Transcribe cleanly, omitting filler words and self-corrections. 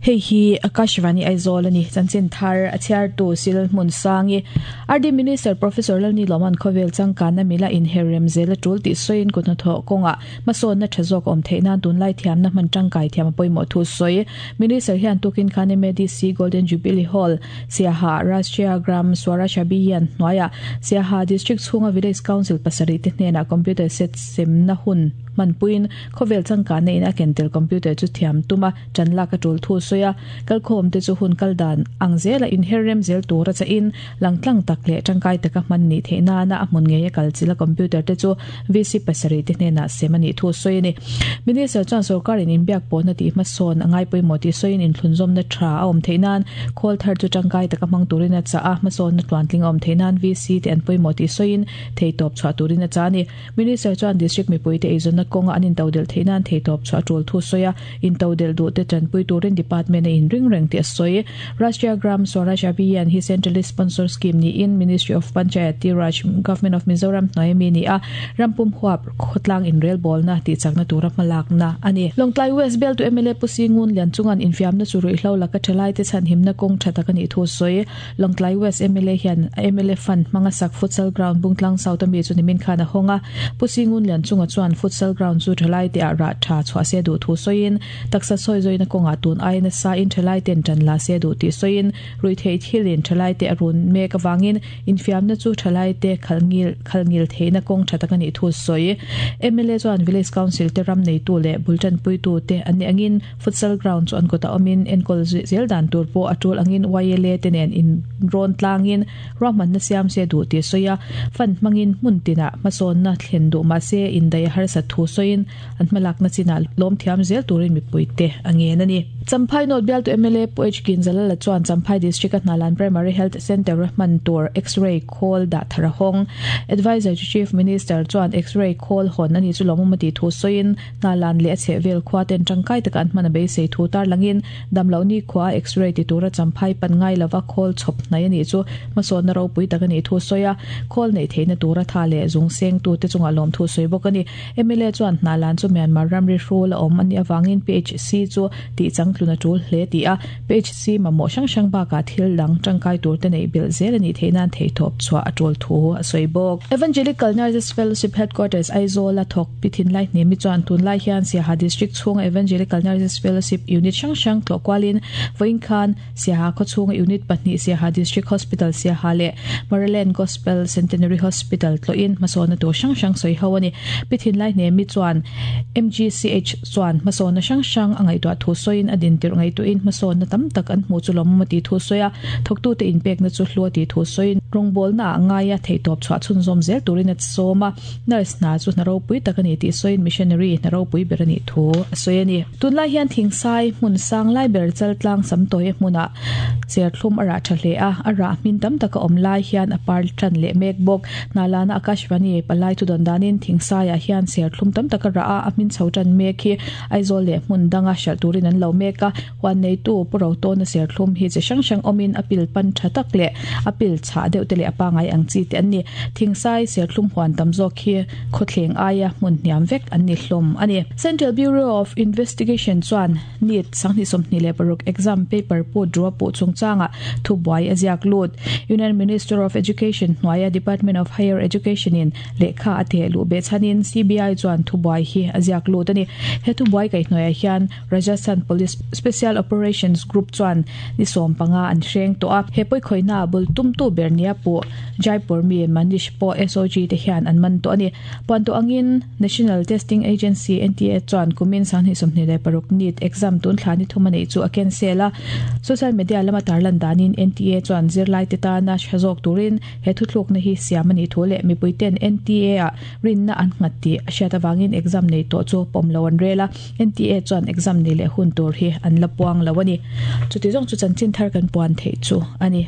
Hei hi Akashvani Aizawl a ni. Chanchin thar a chhiartu Sil Hmunsangi. RD Minister Professor Lalni Lawman khawvel changkanna mila inher rem zel a tul tih sawiin kut hnathawh kawngah hmasawnna tha zawk awm theih nan tunlai thiamna hman tangkai thiam a pawimawh thu sawi. Minister hian tukin khan MADC Golden Jubilee Hall, Siaha, Rashtriya Gram Swaraj Abhiyan hnuaiah Siaha District chhunga Village Council pasarih te hnenah computer set semna hun hmanpuiin khawvel changkanna in a ken tel computer chu thiam tum a. Ṭan lak a ṭul thu sawi a, kalkhawm te chu hun kal dan ang zela inher rem zel tur a chahin langtlang tak leh ṭangkai taka hman nih theih nana a hmun ngei a kal chilh a computer te chu VC pasarih te hnenah sem a nih thu sawi a ni. Minister chuan sorkarin inbiak pawhna tih hmasawn a ngai pawimawh tih sawiin inthlunzawmna ṭha a awm theih nan khawl thar chu ṭangkai taka hmang turin a chah a, hmasawnna tluantling a awm theih nan VC te an pawimawh tih sawiin theihtawp chhuah turin a chah a ni. Minister chuan District mipuite eizawnna kawnga an intodelh theih nan theihtawp chhuah a tul thu sawi a, intodelh duhte tanpui turin Department a inring reng tih a sawi. Rashtriya Gram Swaraj Abhiyan hi Centrally Sponsored Scheme niin Ministry of Panchayati Raj, Government of Mizoram hnuai ami ni a, rampum huap khawtlang inrelbawlna tihchakna tura hmalakna a ni. Lawngtlai West Bialtu mla Pu Singun Lianchunga'n infiamna chu ruihhlo laka thalaite chhanhimna kawng tha tak a nih thu a sawi. Lawngtlai West mla hian a mla fund hmanga sak futsal ground Bungtlang South ami chu nimin khan a hawng a. Pu Singun Lianchunga chuan futsal ground chu thalai te ah rah tha chhuah se duh thu sawiin, taksa sawi zawina kawngah tun ai nasa in thalai ten tan la se duh tih sawiin, ruihtheih thil in thalai te a run mek avangin infiamna chu thalai te khalngil khalngil theihna kawng tha tak a nih thu sawi. Mla chuan Village Council te ram neitu leh bul tanpuitu te an nih angin, Futsal ground chu an kawtah awmin enkawl zel dan tur pawh a tul angin YLA te nen inrawn tlangin ruahmanna siam se duh tih a sawi a. Fund hmangin hmun tinah hmasawnna thlen duh mah se indaih a harsat thu sawiin an hmalakna chinah lawm thiam zel turin mipuite a ngen a ni. Champhai North bialtu mla Pu H Kinzalala chuan Champhai District-a Hnalan Primary Health Centre-a hman tur X-ray khawl dah thar a hawng. Adviser to Chief Minister chuan X-ray khawl hawn a ni chu lawmawm a tih thu sawiin Hnalan leh a chhehvel khua ten tangkai taka an hman a beisei thu tarlangin damloh ni khua a X-ray ti tura champhai pan ngai lova khawl chhawp hnai a nih chu hmasawnna ropui tak a nih thu sawi a, khawl neih theihna tura tha leh zung sengtu te chungah lawmthu sawi bawk a ni. Mla chuan Hnalan chu Myanmar ramri hrul a awm a nih avangin PHC chu tih changtlun a tul hle tih a, PHC mamawh hrang hrang bakah thil dang tangkai tur te neih belh zel a nih theih nan theihtawp chhuah a tul thu a sawi bawk. Evangelical Nurses Fellowship Headquarters Aizawl a thawk Pi Thinlai Hnemi chuan tunlai hian Siaha District chhunga Evangelical Nurses Fellowship Unit hrang hrang tlawh kualin vawiin khan Siaha khaw chhunga Unit pahnih Siaha District Hospital Siaha leh Maryland Gospel Centenary Hospital tlawhin hmasawnna tur hrang hrang sawi ho a ni. Pi Thinlai Hnemi chuan MGCH chuan hmasawnna hrang hrang a ngaihtuah thu sawiin a dintirh ngaihtuahin hmasawnna tam tak an hmuh chu lawmawm a tih thu sawi a, thawktute inpekna chu hlu a tih thu sawiin rawngbawlna ah ngaia theihtawp chhuah chhunzawm zel turin a sawm a. Nurse hna chu hna ropui tak a ni tih sawiin missionary hna ropui ber a nih thu a sawi a ni. Tunlai hian thingsai hmun sang lai ber chaltlang samtawia hmunah cherthlum a rah tha hle a, a rah hmin tam taka awm lai hian a par tan leh mek bawk. Hnalana Akashvani palai thu dawn danin thingsaiah hian cherthlum tam taka rah a, a hmin chho tan mek hi Aizawl leh hmun danga hralh turin an lo mek a. Huan neitu Pu Rotawna serthlum hi chi hrang hrang awmin a pil pan tha tak leh a pil chhah deuh te leh a pangai ang chi te an ni. Thingsai serthlum huan tam zawk hi khawthleng aia hmun hniam vek an ni hlawm a ni. Central Bureau of Investigation chuan NEET 2026 exam paper put rua puh chungchangah thubuai a ziak lut. Union Minister of Education hnuaia Department of Higher Education in Lehkha a teh luh beh chhanin CBI chuan thubuai hi a ziak lut a ni. He thubuai kaihhnuaiah hian Rajasthan Police Special Operations Group chuan ni 15 an hreng tawh a. He pawikhawihna bul tumtu ber nia puh Jaipur mi Manish pawh SOG te hian an man tawh a ni. Puan tawh angin National Testing Agency, NTA, chuan kumin 2026 NEET exam tun thla ni thum a neih chu a cancel a. Social media lama tarlan danin NTA chuan zirlaite tana tha zawk turin He thuthlukna hi siam a nih thu leh mipuiten NTA-ah rinna an nghat tih a hriat avangin exam nei tawh chu pawm lo an rel a, NTA chuan exam nei leh hun tur hi an la puang lo a ni. Chuti zawng chu chanchin thar kan puan theih chu a ni.